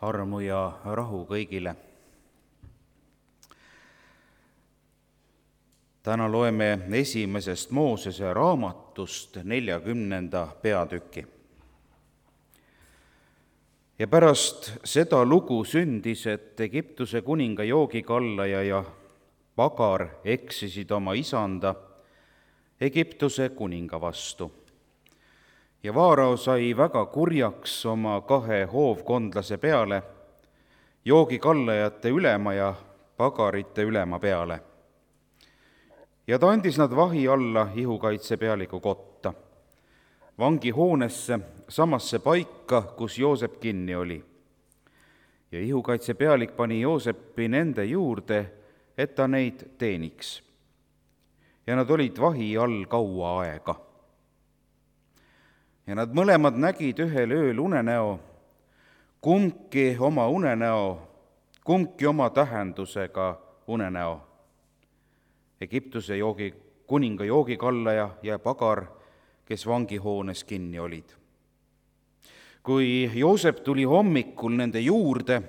Armu ja rahu kõigile. Täna loeme esimesest Moosese raamatust 40. peatüki. Ja pärast seda lugu sündis, et Egiptuse kuninga joogikallaja ja pagar eksisid oma isanda Egiptuse kuninga vastu. Ja Vaarao sai väga kurjaks oma 2 hoovkondlase peale, joogikallajate ülema ja pagarite ülema peale. Ja ta andis nad vahi alla ihukaitsepealiku kotta, vangihoonesse, samasse paika, kus Joosep kinni oli. Ja ihukaitsepealik pani Joosepi nende juurde, et ta neid teeniks. Ja nad olid vahi all kaua aega. Ja nad mõlemad nägid ühel ööl unenäo, kumbki oma tähendusega unenäo. Egiptuse kuninga joogikallaja ja pagar, kes vangihoones kinni olid. Kui Joosep tuli hommikul nende juurde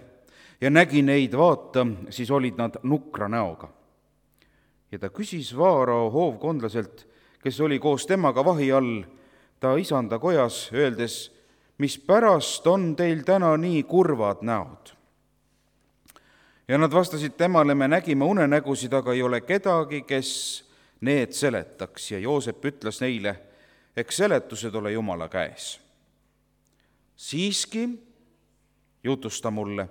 ja nägi neid, vaata, siis olid nad nukra näoga. Ja ta küsis Vaarao hoovkondlaselt, kes oli koos temaga vahi all, ta isanda kojas, öeldes, mis pärast on teil täna nii kurvad näod? Ja nad vastasid temale, me nägime unenägusid, aga ei ole kedagi, kes need seletaks. Ja Joosep ütles neile, eks seletused ole Jumala käes. Siiski jutusta mulle.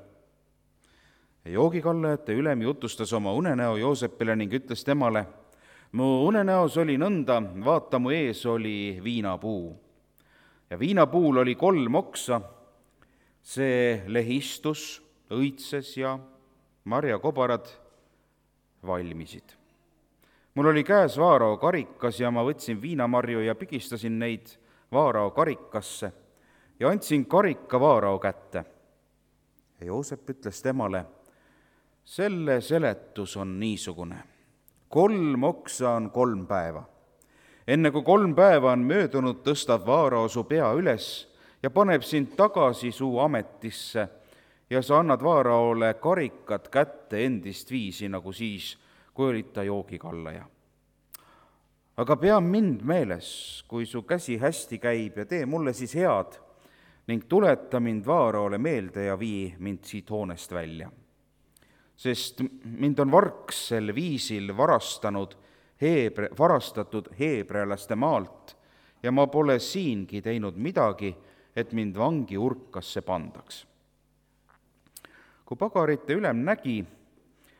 Ja joogikallajate ülem jutustas oma unenäo Joosepile ning ütles temale, mu unenäos oli nõnda, vaata, mu ees oli viinapuu. Ja viinapuul oli 3 oksa, see lehistus, õitses ja marjakobarad valmisid. Mul oli käes Vaarao karikas ja ma võtsin viinamarju ja pigistasin neid Vaarao karikasse ja andsin karika Vaarao kätte. Ja Joosep ütles temale, selle seletus on niisugune. 3 oksa on 3 päeva. Enne kui 3 päeva on möödunud, tõstab Vaarao su pea üles ja paneb sind tagasi su ametisse ja sa annad Vaaraole karikat kätte endist viisi, nagu siis, kui olid ta joogikallaja. Aga pea mind meeles, kui su käsi hästi käib ja tee mulle siis head ning tuleta mind Vaaraole meelde ja vii mind siit hoonest välja. Sest mind on varks sel viisil varastatud heebrealaste maalt ja ma pole siingi teinud midagi, et mind vangi urkasse pandaks. Kui pagarite ülem nägi,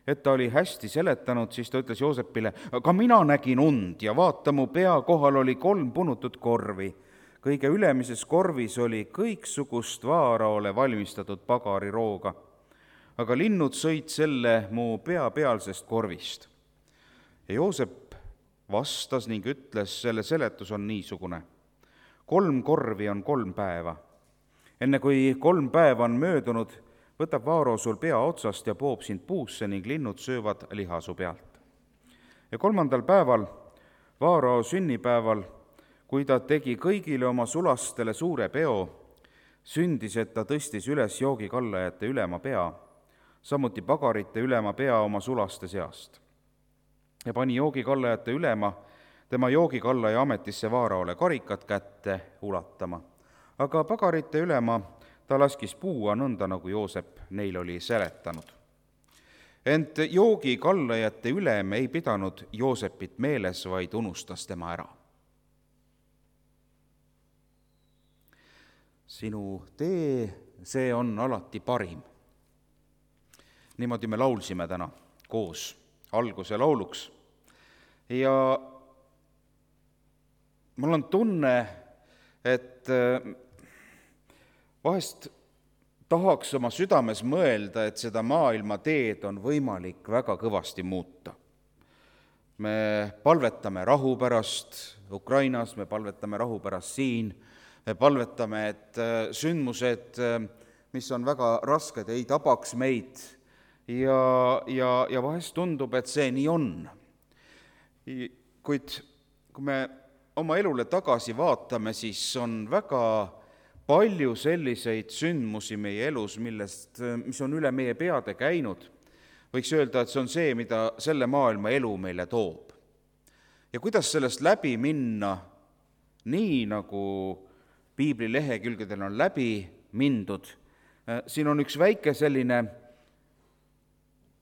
et ta oli hästi seletanud, siis ta ütles Joosepile, aga mina nägin und ja vaata, mu pea kohal oli 3 punutut korvi. Kõige ülemises korvis oli kõiksugust Vaaraole valmistatud pagarirooga. Aga linnud sõid selle mu pea pealsest korvist. Ja Joosep vastas ning ütles, selle seletus on niisugune. 3 korvi on 3 päeva. Enne kui 3 päeva on möödunud, võtab Vaarao sul pea otsast ja poob sind puusse ning linnud söövad liha su pealt. Ja 3. päeval, Vaarao sünnipäeval, kui ta tegi kõigile oma sulastele suure peo, sündis, et ta tõstis üles joogikallajate ülema pea, samuti pagarite ülema pea oma sulaste seast. Ja pani joogikallajate ülema tema joogikallaja ametisse Vaaraole karikat kätte ulatama. Aga pagarite ülema ta laskis puua nõnda, nagu Joosep neil oli seletanud. Ent joogikallajate ülem ei pidanud Joosepit meeles, vaid unustas tema ära. Sinu tee, see on alati parim. Niimoodi me laulsime täna koos alguse lauluks. Ja mul on tunne, et vahest tahaks oma südames mõelda, et seda maailma teed on võimalik väga kõvasti muuta. Me palvetame rahu pärast Ukrainas, me palvetame rahu pärast siin, me palvetame, et sündmused, mis on väga rasked, ei tabaks meid. Ja vahest tundub, et see nii on. Kuid kui me oma elule tagasi vaatame, siis on väga palju selliseid sündmusi meie elus, mis on üle meie peade käinud. Võiks öelda, et see on see, mida selle maailma elu meile toob. Ja kuidas sellest läbi minna, nii nagu piibli lehekülgedel on läbi mindud, siin on üks väike selline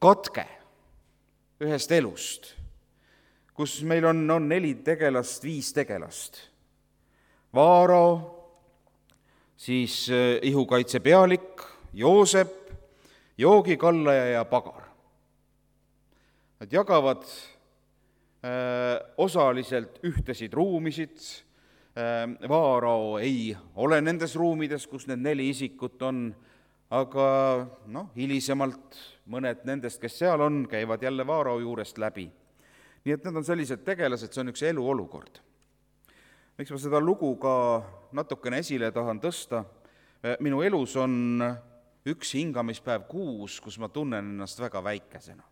katke ühest elust, kus meil on 4 tegelast, 5 tegelast. Vaarao, siis ihukaitse pealik, Joosep, joogikallaja ja pagar. Nad jagavad osaliselt ühtesid ruumisid. Vaarao ei ole nendes ruumides, kus need 4 isikut on, aga hilisemalt mõned nendest, kes seal on, käivad jälle Vaarao juurest läbi. Nii et need on sellised tegelased, see on üks eluolukord. Miks ma seda lugu ka natukene esile tahan tõsta? Minu elus on üks hingamispäev kuus, kus ma tunnen ennast väga väikesena.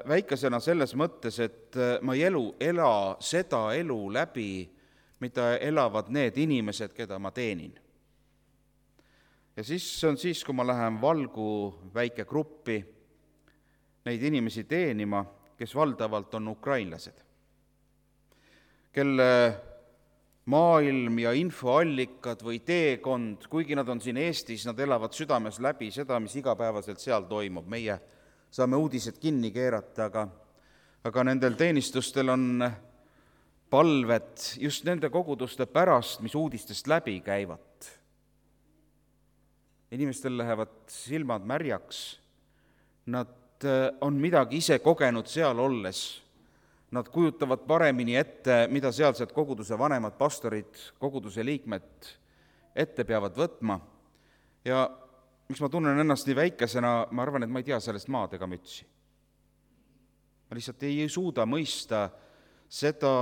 Väikesena selles mõttes, et ma ei ela seda elu läbi, mida elavad need inimesed, keda ma teenin. Ja siis on siis, kui ma lähen Valgu väikegruppi neid inimesi teenima, kes valdavalt on ukrainlased, kelle maailm ja infoallikad või teekond, kuigi nad on siin Eestis, nad elavad südames läbi seda, mis igapäevaselt seal toimub. Meie saame uudised kinni keerata, aga nendel teenistustel on palved just nende koguduste pärast, mis uudistest läbi käivad. Inimestel lähevad silmad märjaks, nad on midagi ise kogenud seal olles, nad kujutavad paremini ette, mida sealsed koguduse vanemad pastorid, koguduse liikmed ette peavad võtma. Ja miks ma tunnen ennast nii väikesena, ma arvan, et ma ei tea sellest maad ega mütsi. Ma lihtsalt ei suuda mõista seda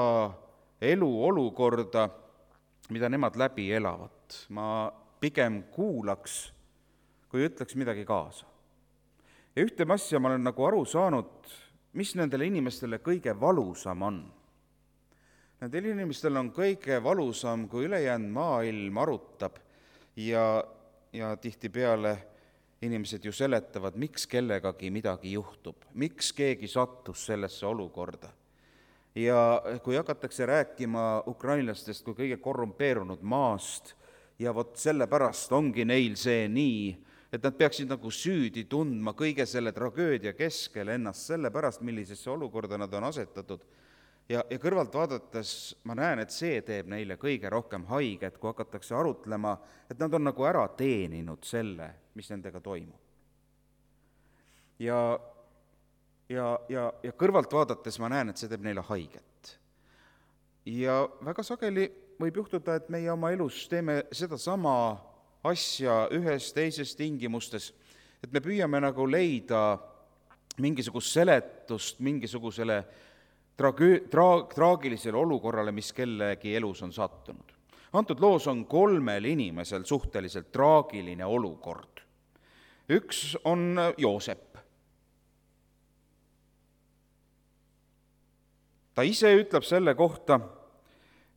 eluolukorda, mida nemad läbi elavad. Ma pigem kuulaks, kui ütleks midagi kaasa. Ja ühte asja ma olen nagu aru saanud, mis nendele inimestele kõige valusam on. Nendel inimestel on kõige valusam, kui ülejäänud maailm arutab ja tihtipeale inimesed ju seletavad, miks kellegagi midagi juhtub, miks keegi sattus sellesse olukorda. Ja kui hakatakse rääkima ukrainlastest kui kõige korrumpeerunud maast ja vot sellepärast ongi neil see nii, et nad peaksid nagu süüdi tundma kõige selle tragöödia keskel ennast sellepärast, millisesse olukorda nad on asetatud. Ja kõrvalt vaadates ma näen, et see teeb neile kõige rohkem haiget, kui hakatakse arutlema, et nad on nagu ära teeninud selle, mis nendega toimub. Ja kõrvalt vaadates ma näen, et see teeb neile haiget. Ja väga sageli võib juhtuda, et meie oma elus teeme seda sama asja ühes teises tingimustes, et me püüame nagu leida mingisugust seletust mingisugusele traagilisele olukorrale, mis kellegi elus on sattunud. Antud loos on 3 inimesel suhteliselt traagiline olukord. Üks on Joosep. Ta ise ütleb selle kohta,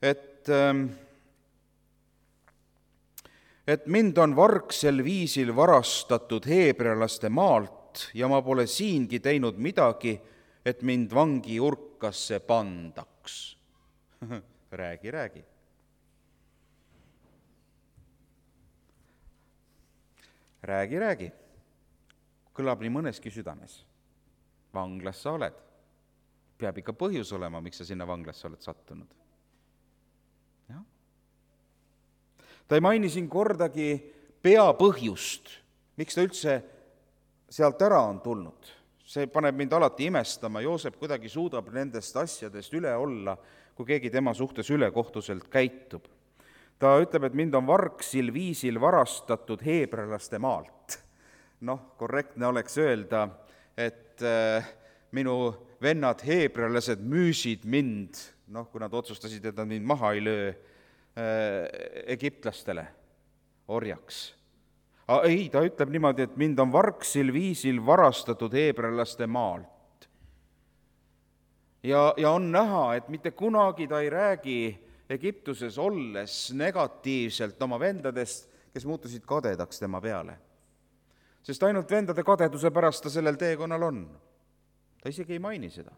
et mind on vargsel viisil varastatud heebrealaste maalt ja ma pole siingi teinud midagi, et mind vangi urkasse pandaks. Räägi. Räägi. Kõlab nii mõneski südames. Vanglas sa oled. Peab ikka põhjus olema, miks sa sinna vanglasse oled sattunud. Ta ei maini siin kordagi peapõhjust, miks ta üldse sealt ära on tulnud. See paneb mind alati imestama, Joosep kuidagi suudab nendest asjadest üle olla, kui keegi tema suhtes ülekohtuselt käitub. Ta ütleb, et mind on vargsil viisil varastatud heebrealaste maalt. Korrektne oleks öelda, et minu vennad heebrealased müüsid mind, kui nad otsustasid, et nad mind maha ei löö, egiptlastele orjaks. Ei, ta ütleb niimoodi, et mind on vargsil viisil varastatud heebrealaste maalt. Ja on näha, et mitte kunagi ta ei räägi Egiptuses olles negatiivselt oma vendadest, kes muutusid kadedaks tema peale. Sest ainult vendade kadeduse pärast ta sellel teekonnal on. Ta isegi ei maini seda.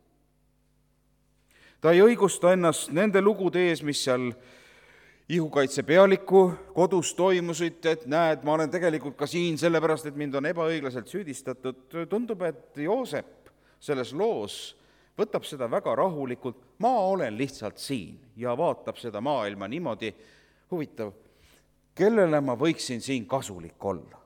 Ta ei õigusta ennast nende lugude ees, mis seal ihukaitse pealiku kodus toimusid, et näed, ma olen tegelikult ka siin sellepärast, et mind on ebaõiglaselt süüdistatud. Tundub, et Joosep selles loos võtab seda väga rahulikult, ma olen lihtsalt siin ja vaatab seda maailma niimoodi, huvitav, kellele ma võiksin siin kasulik olla.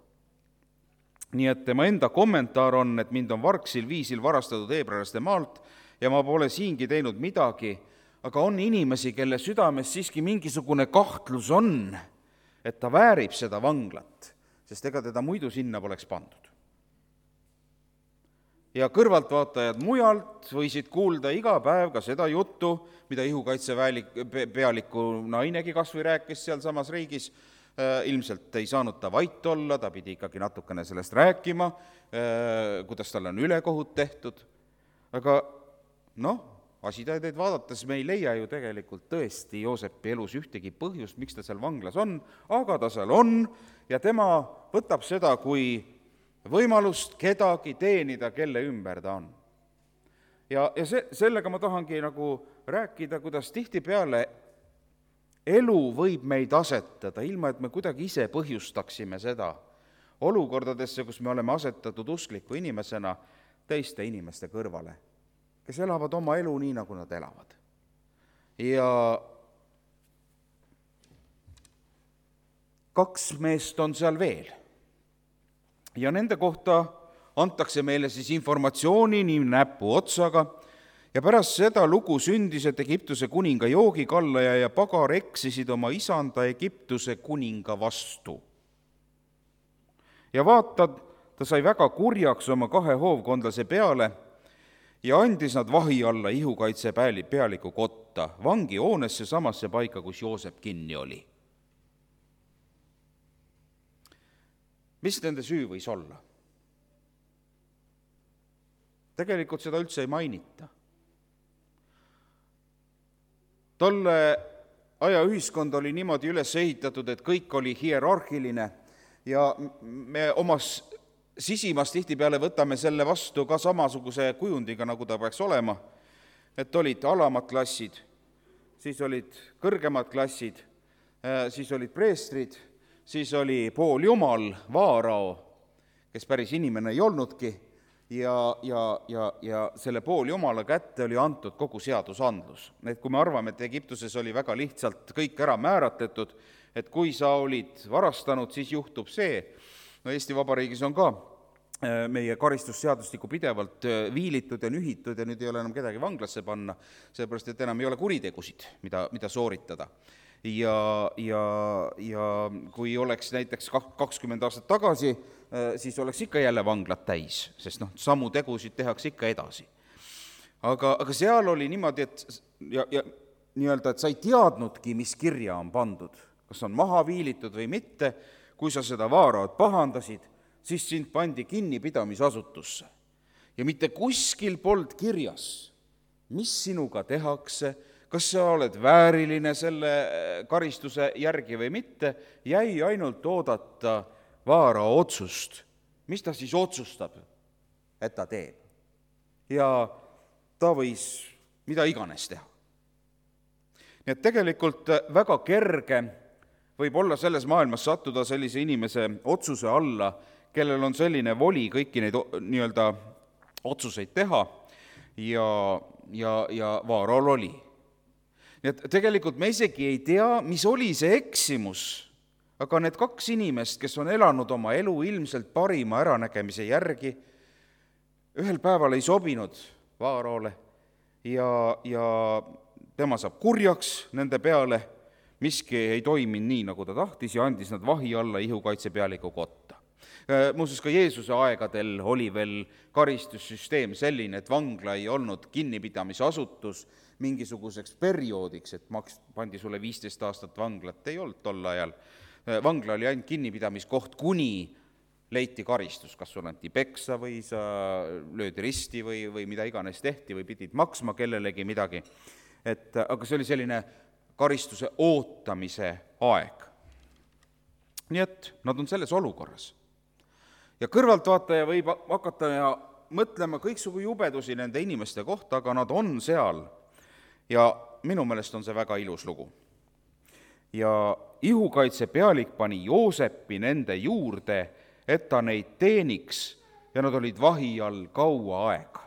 Nii et tema enda kommentaar on, et mind on vargsil viisil varastatud heebrealaste maalt ja ma pole siingi teinud midagi, aga on inimesi, kelle südames siiski mingisugune kahtlus on, et ta väärib seda vanglat, sest ega teda muidu sinna poleks pandud. Ja kõrvaltvaatajad mujalt võisid kuulda iga päev ka seda juttu, mida ihukaitse pealiku nainegi kas või rääkis seal samas riigis. Ilmselt ei saanud ta vait olla, ta pidi ikkagi natukene sellest rääkima, kuidas tal on ülekohut tehtud. Aga asitõendeid vaadates me ei leia ju tegelikult tõesti Joosepi elus ühtegi põhjust, miks ta seal vanglas on, aga ta seal on ja tema võtab seda kui võimalust kedagi teenida, kelle ümber ta on. Ja sellega ma tahangi nagu rääkida, kuidas tihtipeale elu võib meid asetada, ilma et me kuidagi ise põhjustaksime seda olukordadesse, kus me oleme asetatud uskliku inimesena teiste inimeste kõrvale, kes elavad oma elu nii, nagu nad elavad. Ja 2 meest on seal veel. Ja nende kohta antakse meile siis informatsiooni nii näpu otsaga ja pärast seda lugu sündis, et Egiptuse kuninga joogikallaja ja pagar eksisid oma isanda Egiptuse kuninga vastu. Ja vaatad, ta sai väga kurjaks oma 2 hoovkondlase peale ja andis nad vahi alla ihukaitse pealiku kotta, vangihoonesse samasse paika, kus Joosep kinni oli. Mis nende süü võis olla? Tegelikult seda üldse ei mainita. Tolle aja ühiskond oli niimoodi üles ehitatud, et kõik oli hierarhiline ja me omas sisimas tihtipeale võtame selle vastu ka samasuguse kujundiga, nagu ta peaks olema, et olid alamad klassid, siis olid kõrgemad klassid, siis olid preestrid, siis oli pooljumal, vaarao, kes päris inimene ei olnudki, ja selle pooljumala kätte oli antud kogu seadusandlus. Et kui me arvame, et Egiptuses oli väga lihtsalt kõik ära määratletud, et kui sa olid varastanud, siis juhtub see. Eesti Vabariigis on ka meie karistusseadustikku pidevalt viilitud ja nühitud ja nüüd ei ole enam kedagi vanglasse panna, sellepärast et enam ei ole kuritegusid, mida sooritada. Ja kui oleks näiteks 20 aastat tagasi, siis oleks ikka jälle vanglad täis, sest samu tegusid tehakse ikka edasi. Aga seal oli niimoodi, et sa ei teadnudki, mis kirja on pandud, kas on maha viilitud või mitte, kui sa seda vaaraod pahandasid, siis sind pandi kinnipidamisasutusse. Ja mitte kuskil polnud kirjas, mis sinuga tehakse, kas sa oled vääriline selle karistuse järgi või mitte, jäi ainult oodata vaara otsust. Mis ta siis otsustab, et ta teeb? Ja ta võis mida iganes teha. Nii et tegelikult väga kerge võib olla selles maailmas sattuda sellise inimese otsuse alla, kellel on selline voli kõiki neid nii-öelda otsuseid teha ja vaarol oli. Nii et tegelikult me isegi ei tea, mis oli see eksimus, aga need 2 inimest, kes on elanud oma elu ilmselt parima äranägemise järgi, ühel päeval ei sobinud vaarole ja tema saab kurjaks nende peale, miski ei toiminud nii, nagu ta tahtis ja andis nad vahi alla ihukaitse pealiku kotta. Muuseas, ka Jeesuse aegadel oli veel karistussüsteem selline, et vangla ei olnud kinnipidamisasutus mingisuguseks perioodiks, et pandi sulle 15 aastat vanglat, ei olnud tol ajal. Vangla oli ainult kinnipidamiskoht, kuni leiti karistus, kas sul anti peksa või sa löödi risti või mida iganes tehti või pidid maksma kellelegi midagi. Aga see oli selline karistuse ootamise aeg. Nii et nad on selles olukorras. Ja kõrvaltvaataja võib hakata ja mõtlema kõiksugu jubedusi nende inimeste kohta, aga nad on seal ja minu meelest on see väga ilus lugu. Ja ihukaitse pealik pani Joosepi nende juurde, et ta neid teeniks ja nad olid vahi all kaua aega.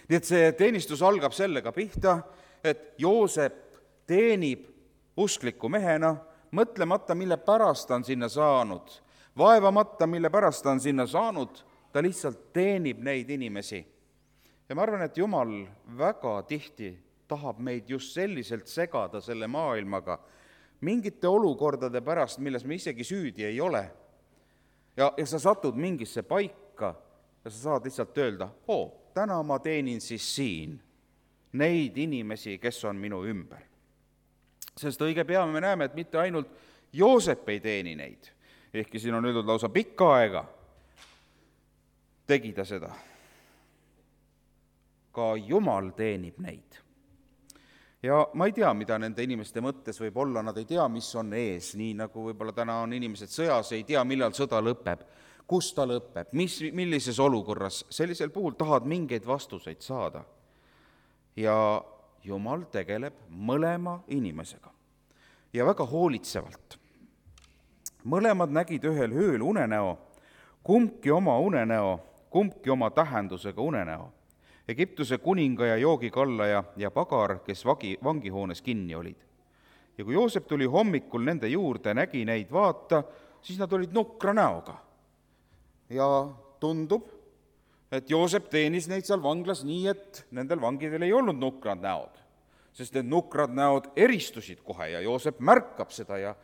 Nii et see teenistus algab sellega pihta, et Joosep teenib uskliku mehena, mõtlemata, mille pärast ta on sinna saanud, vaevamata, mille pärast ta on sinna saanud, ta lihtsalt teenib neid inimesi. Ja ma arvan, et Jumal väga tihti tahab meid just selliselt segada selle maailmaga, mingite olukordade pärast, milles me isegi süüdi ei ole. Ja sa satud mingisse paika ja sa saad lihtsalt öelda, täna ma teenin siis siin neid inimesi, kes on minu ümber. Sest õige pea me näeme, et mitte ainult Joosep ei teeni neid, ehkki siin on öeldud lausa pikka aega, tegi ta seda. Ka Jumal teenib neid. Ja ma ei tea, mida nende inimeste mõttes võib olla, nad ei tea, mis on ees, nii nagu võib-olla täna on inimesed sõjas, ei tea, millal sõda lõpeb, kus ta lõpeb, millises olukorras. Sellisel puhul tahad mingeid vastuseid saada. Ja Jumal tegeleb mõlema inimesega ja väga hoolitsevalt. Mõlemad nägid ühel ööl unenäo, kumbki oma unenäo, kumbki oma tähendusega unenäo. Egiptuse kuninga ja joogikallaja ja pagar, kes vangihoones kinni olid. Ja kui Joosep tuli hommikul nende juurde, nägi neid vaata, siis nad olid nukra näoga. Ja tundub, et Joosep teenis neid seal vanglas nii, et nendel vangidel ei olnud nukrad näod, sest need nukrad näod eristusid kohe ja Joosep märkab seda ja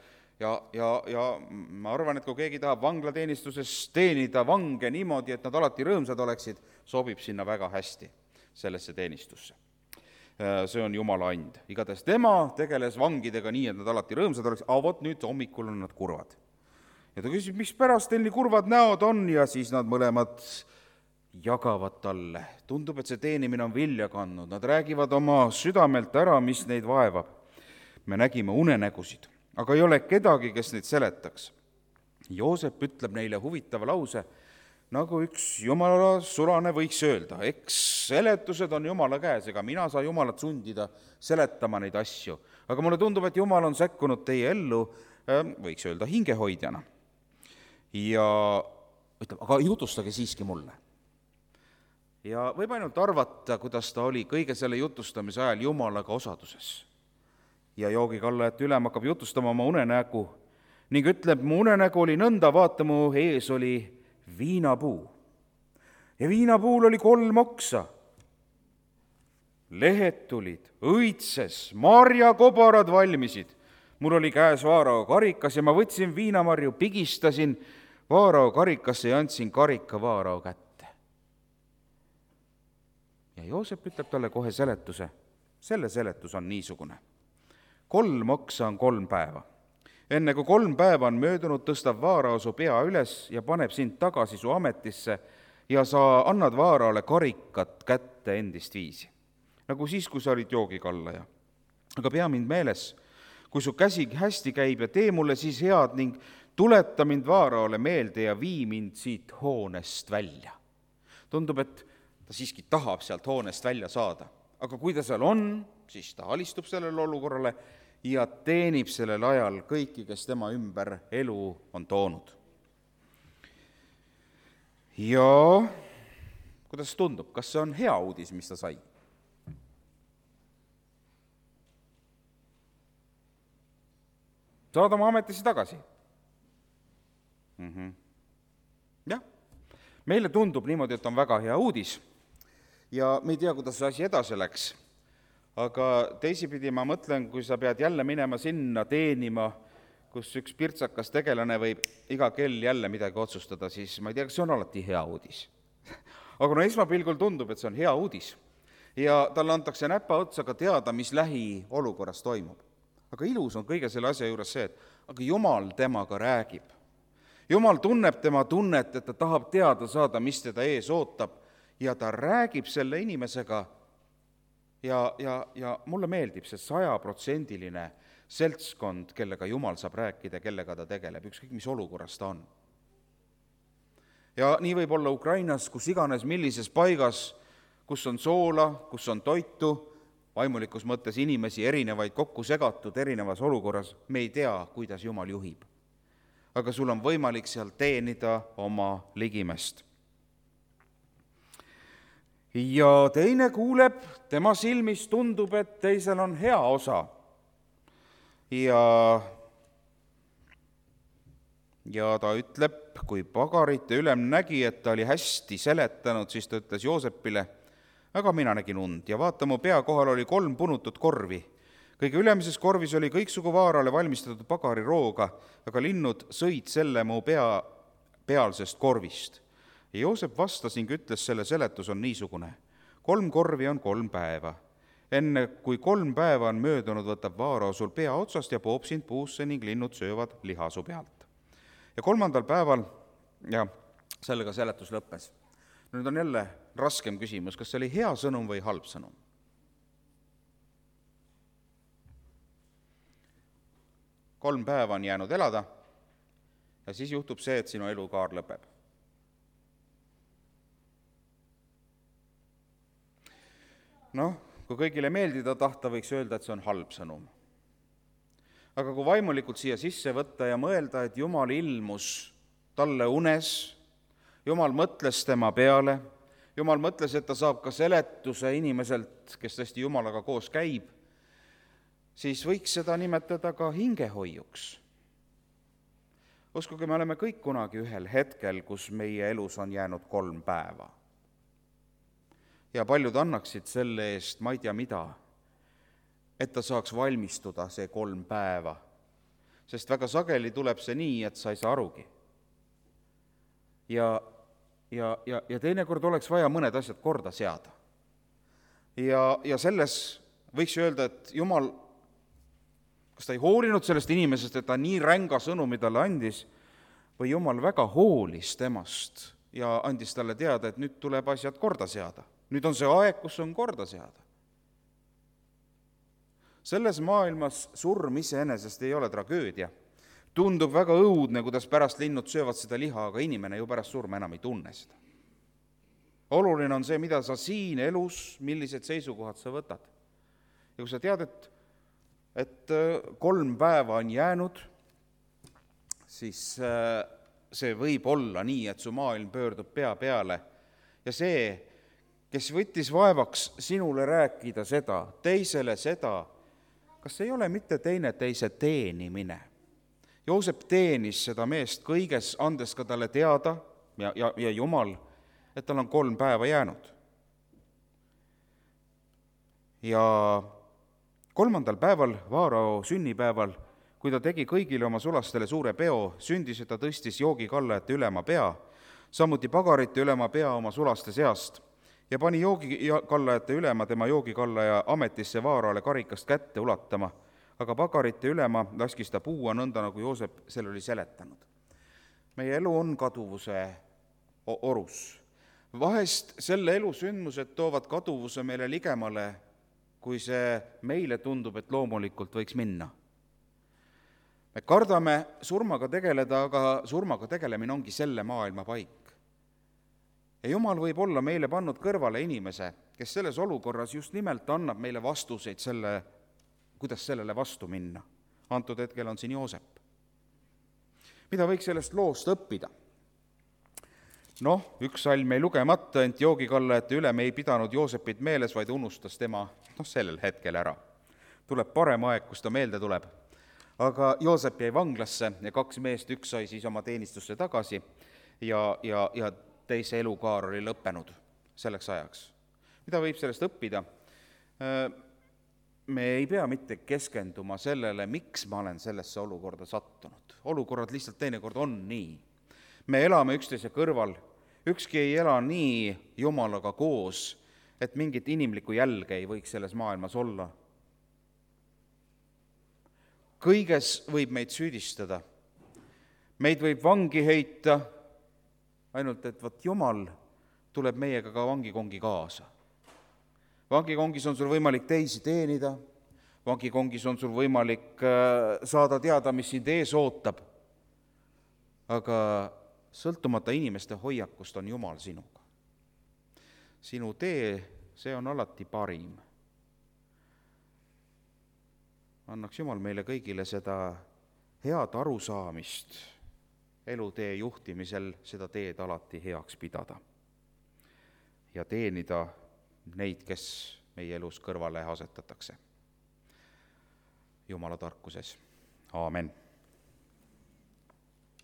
ma arvan, et kui keegi tahab vanglateenistuses teenida vange niimoodi, et nad alati rõõmsad oleksid, sobib sinna väga hästi sellesse teenistusse. See on Jumala and. Igatahes tema tegeles vangidega nii, et nad alati rõõmsad oleksid, vot nüüd hommikul on nad kurvad. Ja ta küsib, mis pärast teil nii kurvad näod on, ja siis nad mõlemad jagavad talle. Tundub, et see teenimine on vilja kandnud. Nad räägivad oma südamelt ära, mis neid vaevab. Me nägime unenägusid, aga ei ole kedagi, kes neid seletaks. Joosep ütleb neile huvitava lause, nagu üks Jumala sulane võiks öelda. Eks seletused on Jumala käes, ega mina saa Jumalat sundida seletama neid asju. Aga mulle tundub, et Jumal on sekkunud teie ellu, võiks öelda, hingehoidjana. Ja ütleb, aga jutustage siiski mulle. Ja võib ainult arvata, kuidas ta oli kõige selle jutustamise ajal Jumalaga osaduses. Ja joogikallajat ülem hakkab jutustama oma unenägu ning ütleb, mu unenägu oli nõnda, vaata, mu ees oli viinapuu. Ja viinapuul oli 3 oksa. Lehed tulid, õitses, marjakobarad valmisid. Mul oli käes Vaarao karikas ja ma võtsin viinamarju, pigistasin Vaarao karikasse ja andsin karika Vaarao kätte. Ja Joosep ütleb talle kohe seletuse. Selle seletus on niisugune. 3 oksa on 3 päeva. Enne kui 3 päeva on möödunud, tõstab Vaarao su pea üles ja paneb sind tagasi su ametisse ja sa annad Vaaraole karikat kätte endist viisi. Nagu siis, kui sa olid joogikallaja. Aga pea mind meeles, kui su käsi hästi käib ja tee mulle siis head ning tuleta mind Vaaraole meelde ja vii mind siit hoonest välja. Tundub, et ta siiski tahab sealt hoonest välja saada. Aga kui ta seal on, siis ta alistub sellele olukorrale ja teenib sellel ajal kõiki, kes tema ümber elu on toonud. Ja kuidas tundub, kas see on hea uudis, mis ta sai? Saad oma ametisse tagasi? Jah, meile tundub niimoodi, et on väga hea uudis ja me ei tea, kuidas see asi edasi läks. Aga teisipidi ma mõtlen, kui sa pead jälle minema sinna teenima, kus üks pirtsakas tegelane võib iga kell jälle midagi otsustada, siis ma ei tea, kas see on alati hea uudis. Aga esmapilgul tundub, et see on hea uudis ja talle antakse näpa otsaga teada, mis lähiolukorras toimub. Aga ilus on kõige selle asja juures see, et aga Jumal temaga räägib. Jumal tunneb tema tunnet, et ta tahab teada saada, mis teda ees ootab ja ta räägib selle inimesega ja mulle meeldib see 100% seltskond, kellega Jumal saab rääkida, kellega ta tegeleb, ükskõik mis olukorras ta on. Ja nii võib olla Ukrainas, kus iganes, millises paigas, kus on soola, kus on toitu, vaimulikus mõttes inimesi erinevaid kokku segatud erinevas olukorras, me ei tea, kuidas Jumal juhib. Aga sul on võimalik seal teenida oma ligimest. Ja teine kuuleb, tema silmis tundub, et teisel on hea osa. Ja ta ütleb, kui pagarite ülem nägi, et ta oli hästi seletanud, siis ta ütles Joosepile, aga mina nägin und ja vaata, mu pea kohal oli 3 punutut korvi. Kõige ülemises korvis oli kõiksugu vaarale valmistatud pagarirooga, aga linnud sõid selle mu pealsest korvist. Ja Joosep vastas ning ütles, selle seletus on niisugune. 3 korvi on 3 päeva. Enne kui 3 päeva on möödunud, võtab vaarao sul pea otsast ja poob sind puusse ning linnud söövad liha su pealt. Ja 3. päeval, ja sellega seletus lõppes. Nüüd on jälle raskem küsimus, kas see oli hea sõnum või halb sõnum? Kolm päeva on jäänud elada ja siis juhtub see, et sinu elukaar lõpeb. Kui kõigile meeldida tahta, võiks öelda, et see on halb sõnum. Aga kui vaimulikult siia sisse võtta ja mõelda, et Jumal ilmus talle unes, Jumal mõtles tema peale, Jumal mõtles, et ta saab ka seletuse inimeselt, kes tõesti Jumalaga koos käib, siis võiks seda nimetada ka hingehoiuks. Uskuge, me oleme kõik kunagi ühel hetkel, kus meie elus on jäänud 3 päeva. Ja paljud annaksid selle eest, ma ei tea mida, et ta saaks valmistuda see 3 päeva. Sest väga sageli tuleb see nii, et sa ei saa arugi. Ja teinekord oleks vaja mõned asjad korda seada. Ja selles võiks öelda, et Jumal, kas ta ei hoolinud sellest inimesest, et ta nii ränga sõnumi talle andis, või Jumal väga hoolis temast ja andis talle teada, et nüüd tuleb asjad korda seada. Nüüd on see aeg, kus on korda seada. Selles maailmas surm iseenesest ei ole tragöödia. Tundub väga õudne, kuidas pärast linnud söövad seda liha, aga inimene ju pärast surma enam ei tunne seda. Oluline on see, mida sa siin elus, millised seisukohad sa võtad. Ja kui sa tead, et 3 päeva on jäänud, siis see võib olla nii, et su maailm pöördub pea peale. Ja see, kes võttis vaevaks sinule rääkida seda, teisele seda, kas ei ole mitte teise teenimine? Joosep teenis seda meest kõiges, andes ka talle teada ja Jumal, et tal on 3 päeva jäänud. Ja 3. päeval, vaarao sünnipäeval, kui ta tegi kõigile oma sulastele suure peo, sündis, et ta tõstis joogikallajate ülema pea, samuti pagarite ülema pea oma sulaste seast ja pani joogikallajate ülema tema joogikallaja ametisse vaarale karikast kätte ulatama, aga pagarite ülema laskis ta puua nõnda, nagu Joosep selle oli seletanud. Meie elu on kaduvuse orus. Vahest selle elu sündmused toovad kaduvuse meile ligemale, kui see meile tundub, et loomulikult võiks minna. Me kardame surmaga tegeleda, aga surmaga tegelemine ongi selle maailma paik. Ja Jumal võib olla meile pannud kõrvale inimese, kes selles olukorras just nimelt annab meile vastuseid kuidas sellele vastu minna. Antud hetkel on siin Joosep. Mida võiks sellest loost õppida? Üks salm ei lugemata, ent joogikallajate ülem ei pidanud Joosepit meeles, vaid unustas tema sellel hetkel ära. Tuleb parem aeg, kus ta meelde tuleb. Aga Joosep jäi vanglasse ja 2 meest, üks sai siis oma teenistusse tagasi ja teise elukaar oli lõppenud selleks ajaks. Mida võib sellest õppida? Me ei pea mitte keskenduma sellele, miks ma olen sellesse olukorda sattunud. Olukorrad lihtsalt teinekord on nii. Me elame üksteise kõrval, ükski ei ela nii Jumalaga koos, et mingit inimlikku jälge ei võiks selles maailmas olla. Kõiges võib meid süüdistada. Meid võib vangi heita, ainult et Jumal tuleb meiega ka vangikongi kaasa. vangikongis on sul võimalik teisi teenida, vangikongis on sul võimalik saada teada, mis sind ees ootab, aga sõltumata inimeste hoiakust on Jumal sinuga. Sinu tee, see on alati parim. Annaks Jumal meile kõigile seda head arusaamist elutee juhtimisel, seda teed alati heaks pidada ja teenida neid, kes meie elus kõrvale asetatakse. Jumala tarkuses. Aamen.